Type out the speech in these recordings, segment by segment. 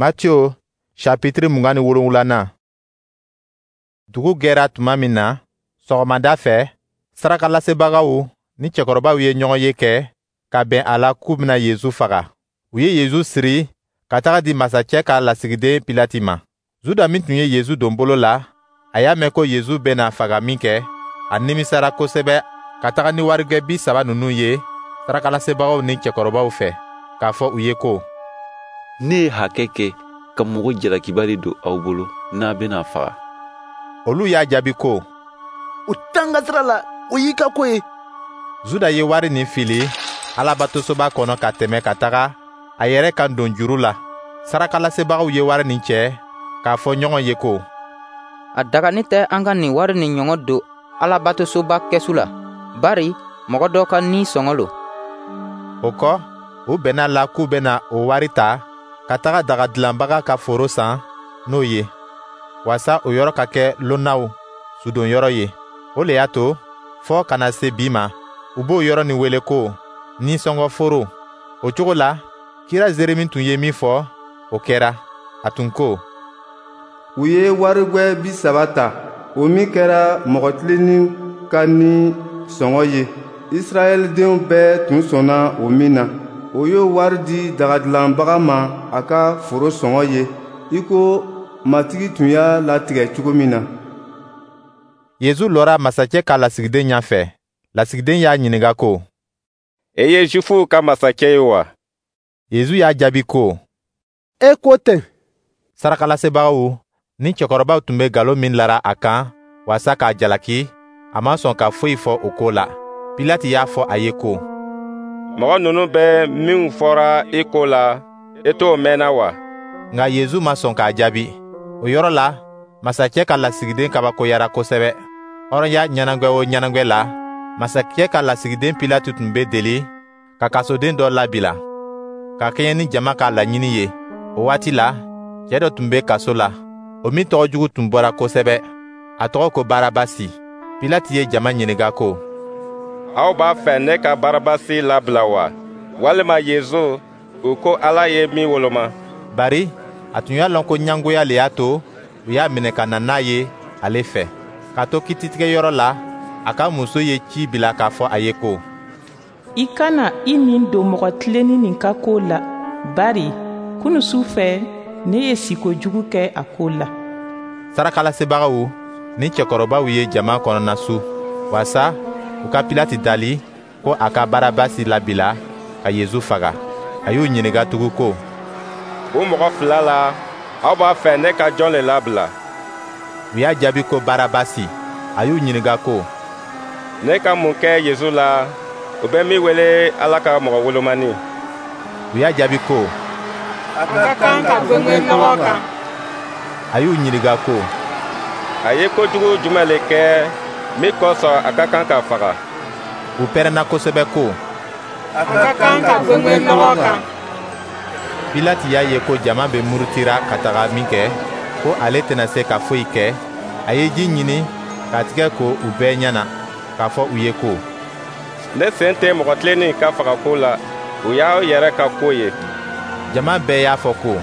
Matiyo chapitre 27nan. Dugu gɛra tuma min na, sɔgɔmada fɛ, sarakalasebagaw ni cɛkɔrɔbaw ye ɲɔgɔnye kɛ ka bɛn a la k'u bɛna Yezu faga. U ye Yezu siri ka taga di masacɛ ka lasigiden Pilati ma. Juda min tun ye Yezu don bolo la, a y'a mɛn ko Yezu bɛna faga minkɛ, a nimisara kosɛbɛ ka taga ni warijɛ 30 ninnu ye sarakalasebagaw ni cɛkɔrɔbaw fɛ, k'a fɔ u ye ko: Ne ye hakɛ kɛ ka mɔgɔ jalakibali don aw bolo n'a bɛna faga. Olu y'a jaabi ko: O t'an ka sira la, o y'i ka ko ye. Juda ye wari nin fili Alabatosoba kɔnɔ ka tɛmɛ ka taga a yɛrɛ kan don juru la. Sarakalasebagaw ye wari nin cɛ k'a fɔ ɲɔgɔn ye ko: A dagani tɛ an ka nin wari nin ɲɔgɔn don Alabatosoba kɛsu la, bari mɔgɔ dɔ ka ni sɔngɔ lo. O kɔ, u bɛnna la k'u bɛna o wari ta ka taga daga dilanbaga ka foro san n'o ye, waasa o yɔrɔ ka kɛ lonnaw sudonyɔrɔ ye. O le y'a to, fɔɔ ka na se bi ma, u b'o yɔrɔ nin wele ko nisɔngɔ foro. O cogo la, kira Zeremi tun ye min fɔ, o kɛra. A tun ko: U ye warigwɛ 30 ta, o min kɛra mɔgɔ tilennin ka ni sɔngɔ ye, Israɛldenw bɛɛ tun sɔnna o min na. O y'o wari di dagadilanbaga ma a ka foro sɔngɔ ye, i ko Matigi tun y'a latigɛ cogo min na. Yezu lɔra masacɛ ka lasigiden ɲɛfɛ. Lasigiden y'a ɲininka ko: E ye Jufuw ka masacɛ ye wa? Yezu y'a jaabi ko: E ko ten. Sarakalasebagaw ni cɛkɔrɔbaw tun bɛ nkalon min lara a kan waasa k'a jalaki, a ma sɔn ka foyi fɔ o ko la. Pilati y'a fɔ a ye ko: Mɔgɔ ninnu bɛ minw fɔra i ko la, i t'o mɛnna wa? Nka Yezu ma sɔn k'a jaabi. O yɔrɔ la, masacɛ ka lasigiden kabakoyara kosɛbɛ. Hɔrɔnya ɲɛnagwɛ o ɲɛnagwɛ la, masakɛ ka lasigiden Pilati tun bɛ deli ka kasoden dɔ labila, ka kɛɲɛ ni jama ka laɲini ye. O waati la, cɛ dɔ tun bɛ kaso la, o min tɔgɔ jugu tun bɔra kosɛbɛ. A tɔgɔ ko Barabasi. Pilati ye jama ɲininka ko: Aw b'a fɛ ne ka Barabasi labila wa, walima Yezu, u ko Ala ye min woloma? Bari a tun y'a lɔn ko ɲɛngoya le y'a to u y'a minɛ ka na n'a ye ale fɛ. K'a to kititigɛyɔrɔ la, a ka muso ye ci bila k'a fɔ a ye ko: I kana i nin don mɔgɔ tilennin nin ka ko la, bari kunu su fɛ ne ye siko jugu kɛ a ko la. Sarakalasebagaw ni cɛkɔrɔbaw ye jama kɔnɔnasu, waasa u ka Pilati dali ko a ka Barabasi labila ka Yezu faga. A y'u ɲininka tugun ko: O mɔgɔ fila la, aw b'a fɛ ne ka jɔn le labila? U y'a jaabi ko Barabasi. A y'u ɲininka ko: Ne ka mun kɛ Yezu la, u bɛ min wele Ala ka mɔgɔ wolomani? U y'a jaabi ko: A ka kan ka gwengwen lɔgɔ kan. A y'u ɲininka ko: A ye kojugu jumɛn le kɛ min kosɔn a ka kan ka faga? U pɛrɛnna kosɛbɛ ko: A ka kan ka gwengwen lɔgɔ kan. Pilati y'a ye ko jama bɛ murutira ka taga minkɛ, ko ale tɛna se ka foyi kɛ, a ye ji ɲini k'a tigɛ ko u bɛɛ ɲɛ na, k'a fɔ u ye ko: Ne sen tɛ mɔgɔ tilennin ka fagako la, o y'aw yɛrɛ ka ko ye. Jama bɛɛ y'a fɔ ko: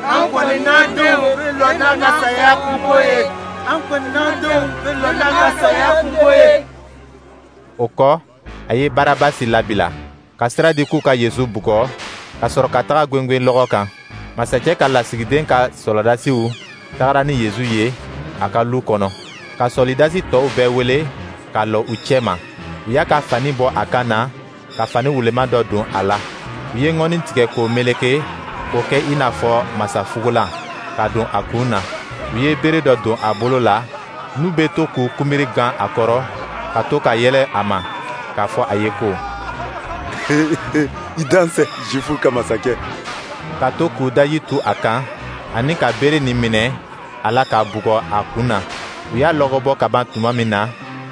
An kɔni n'an denw bɛ lɔ n'an ka saya kunko ye. An kɔni n'an denw bɛ lɔ n'an ka saya kunko ye. O kɔ, a ye Barabasi labila, ka sira di k'u ka Yezu bugɔ, ka sɔrɔ ka taga gwengwen lɔgɔ kan. Masacɛ ka lasigiden ka sɔrɔdasiw tagara ni Yezu ye a ka lu kɔnɔ, ka sɔlidasi tɔw bɛɛ wele ka lɔ u cɛma. U y'a ka fani bɔ a kan na, ka fani wulema dɔ don a la. U ye ŋɔni tigɛ k'o meleke k'o kɛ i n'a fɔ masafugulan, ka don a kun na. U ye bere dɔ don a bolo la, n'u bɛ to k'u kunbiri gan a kɔrɔ, ka to ka yɛlɛ a ma, k'a fɔ a ye ko: I dansɛ, Jufuw ka masakɛ. Ka to k'u daji tu a kan, ani ka bere nin minɛ a la k'a bugɔ a kun na. U y'a lɔgɔbɔ ka ban tuma min na,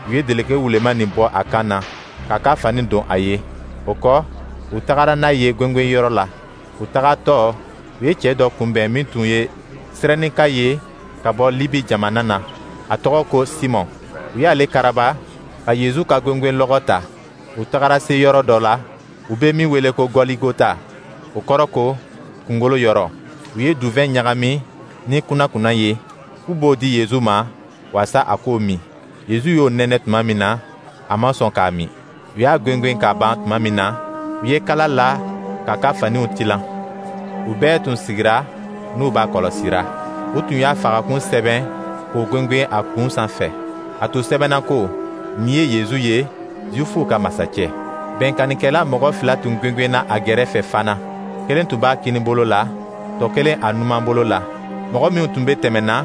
u ye dɛlɛkɛ wulema nin bɔ a kan na, k'a ka fani don a ye. O kɔ, u tagara n'a ye gwengwenyɔrɔ la. U tagatɔ, u ye cɛ dɔ kunbɛn min tun ye Sirɛnika ye ka bɔ Libi jamana na. A tɔgɔ ko Simɔn. U y'ale karaba ka Yezu ka gwengwenlɔgɔ ta. U tagara se yɔrɔ dɔ la, u bɛ min wele ko Gɔligota, o kɔrɔ ko kungolo yɔrɔ. U ye duvɛn ɲagami ni kunnakunna ye, k'u b'o di Yezu ma waasa a k'o min. Yezu y'o nɛnɛ tuma min na, a ma sɔn k'a min. U y'a gwengwen ka ban tuma min na, u ye kala la k'a ka faniw tilan. U bɛɛ tun sigira n'u b'a kɔlɔsira. U tun y'a fagakun sɛbɛn k'o gwengwen a kun sanfɛ. A tun sɛbɛnna ko: Nin ye Yezu ye, Zuwifuw ka masacɛ. Bɛnkannikɛla mɔgɔ fila tun gwengwenna a gɛrɛfɛ fana. Kelen tun b'a kininbolo la, tɔ kelen a numanbolo la. Mɔgɔ minw tun bɛ tɛmɛna,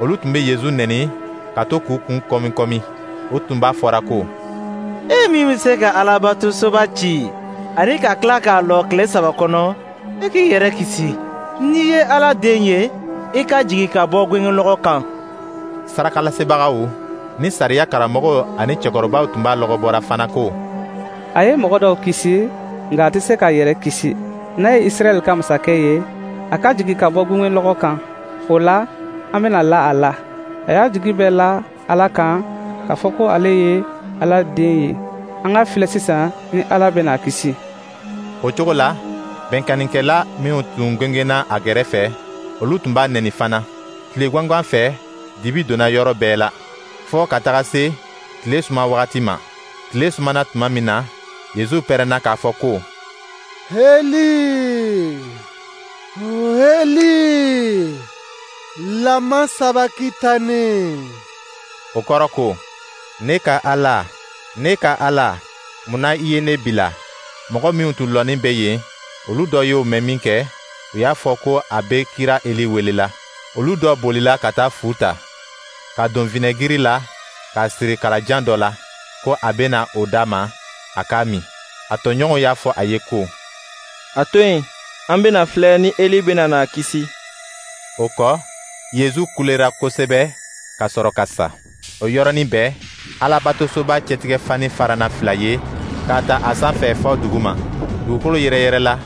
olu tun bɛ Yezu nɛni ka to k'u kun kɔmi-kɔmi. U tun b'a fɔra ko: E min bɛ se ka Alabatosoba ci ani ka tila k'a lɔ tile 3 kɔnɔ, i k'i yɛrɛ kisi. N'i ye Ala den ye, i ka jigin ka bɔ gwengwenlɔgɔ kan. Sarakalasebagaw ni sariya karamɔgɔw ani cɛkɔrɔbaw tun b'a lɔgɔbɔra fana ko: A ye mɔgɔ dɔw kisi, nka a tɛ se k'a yɛrɛ kisi. N'a ye Israɛl ka masakɛ ye, a ka jigin ka bɔ gwengwenlɔgɔ kan. O la, an bɛna la a la. A y'a jigi bɛɛ la Ala kan k'a fɔ ko ale ye Ala den ye. An k'a filɛ sisan ni Ala bɛna a kisi. O cogo la, bɛnkannikɛla minw tun gwengwenna a gɛrɛfɛ, olu tun b'a nɛni fana. Tile gwangwan fɛ, dibi donna yɔrɔ bɛɛ la, fɔɔ ka taga se tile suma wagati ma. Tile sumana tuma min na, Yezu pɛrɛnna k'a fɔ ko: Eli, Eli, lama sabakitani. O kɔrɔ ko: Ne ka Ala, ne ka Ala, mun na i ye ne bila? Mɔgɔ minw tun lɔnin bɛ yen, olu dɔ y'o mɛn minkɛ, u y'a fɔ ko a bɛ kira Eli welela. Olu dɔ bolila ka taa fu ta, ka don vinɛgiri la k'a siri kalajan dɔ la, ko a bɛna o d'a ma, a k'a min. A tɔɲɔgɔnw y'a fɔ a ye ko: A to yen, an bɛna filɛ ni Eli bɛna n'a kisi. O kɔ, Yezu kulera kosɛbɛ ka sɔrɔ ka sa. O yɔrɔnin bɛɛ, Alabatosoba cɛtigɛfani farana fila ye k'a ta a sanfɛ fɔ duguma. Dugukolo yɛrɛyɛrɛla,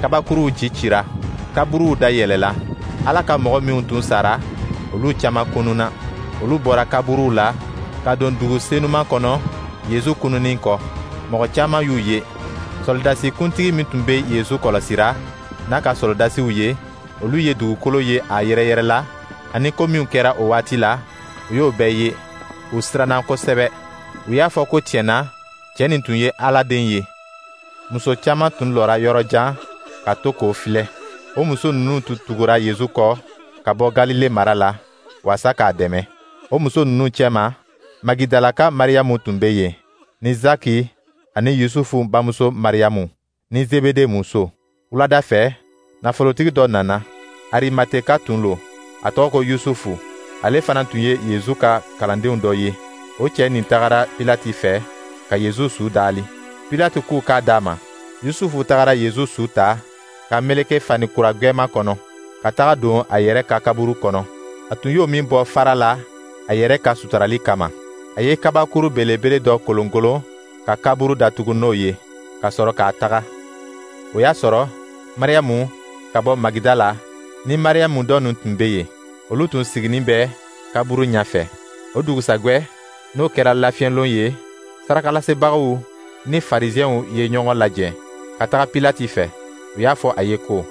kabakuruw cicira, kaburuw dayɛlɛla. Ala ka mɔgɔ minw tun sara, olu caman kununna. Olu bɔra kaburuw la ka don dugu senuman kɔnɔ Yezu kununnin kɔ. Mɔgɔ caman y'u ye. Sɔrɔdasi kuntigi min tun bɛ Yezu kɔlɔsira n'a ka sɔrɔdasiw ye, olu ye dugukolo ye a yɛrɛyɛrɛla, ani ko minw kɛra o waati la, u y'o bɛɛ ye. U siranna kosɛbɛ. U y'a fɔ ko tiɲɛ na, cɛ nin tun ye Ala den ye. Muso caman tun lɔra yɔrɔ jan ka to k'o filɛ. O muso ninnu tun tugura Yezu kɔ ka bɔ Galile mara la waasa k'a dɛmɛ. O muso ninnu cɛma, Magidalaka Mariyamu tun bɛ yen, ni Zaki ani Yusufu bamuso Mariyamu, ni Zebede muso. Wulada fɛ, nafolotigi dɔ nana, Arimateka tun lo, a tɔgɔ ko Yusufu. Ale fana tun ye Yezu ka kalandenw dɔ ye. O cɛ nin tagara Pilati fɛ ka Yezu su daali. Pilati k'u k'a d'a ma. Yusufu tagara Yezu su ta ka meleke fani kura gwɛman kɔnɔ, ka taga don a yɛrɛ ka kaburu kɔnɔ. A tun y'o min bɔ fara la a yɛrɛ ka sutarali kama. A ye kabakuru belebele dɔ kolonkolon ka kaburu datugu n'o ye, ka sɔrɔ k'a taga. O y'a sɔrɔ Mariyamu ka bɔ Magidala ni Mariyamu dɔ nin tun bɛ yen. Olu tun siginin bɛ kaburu ɲɛfɛ. O dugusajɛ, n'o kɛra lafiɲɛlon ye, sarakalasebagaw ni Farisiɛnw ye ɲɔgɔn lajɛ ka taga Pilati fɛ. U y'a fɔ a ye ko: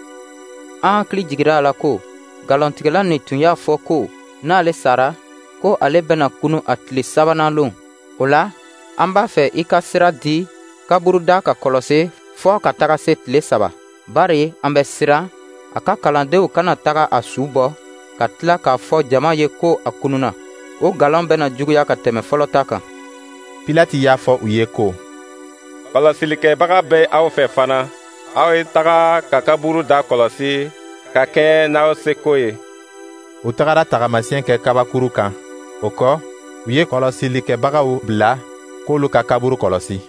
An hakili jigira a la ko nkalontigɛla nin tun y'a fɔ ko n'ale sara, ko ale bɛna kunu a tile 3nan lon. O la, an b'a fɛ i ka sira di kaburuda ka kɔlɔsi fɔɔ ka taga se tile 3. Bari an bɛ siran a ka kalandenw kana taga a su bɔ ka tila k'a fɔ jama ye ko a kununa. O nkalon bɛna juguya ka tɛmɛ fɔlɔ ta kan. Pilati y'a fɔ u ye ko: Kɔlɔsilikɛbaga bɛ aw fɛ fana. Aw ye taga ka kaburu da kɔlɔsi ka kɛɲɛ n'aw seko ye. U tagara tagamasiyɛn kɛ kabakuru kan. O kɔ, u ye kɔlɔsilikɛbagaw bila k'olu ka kaburu kɔlɔsi.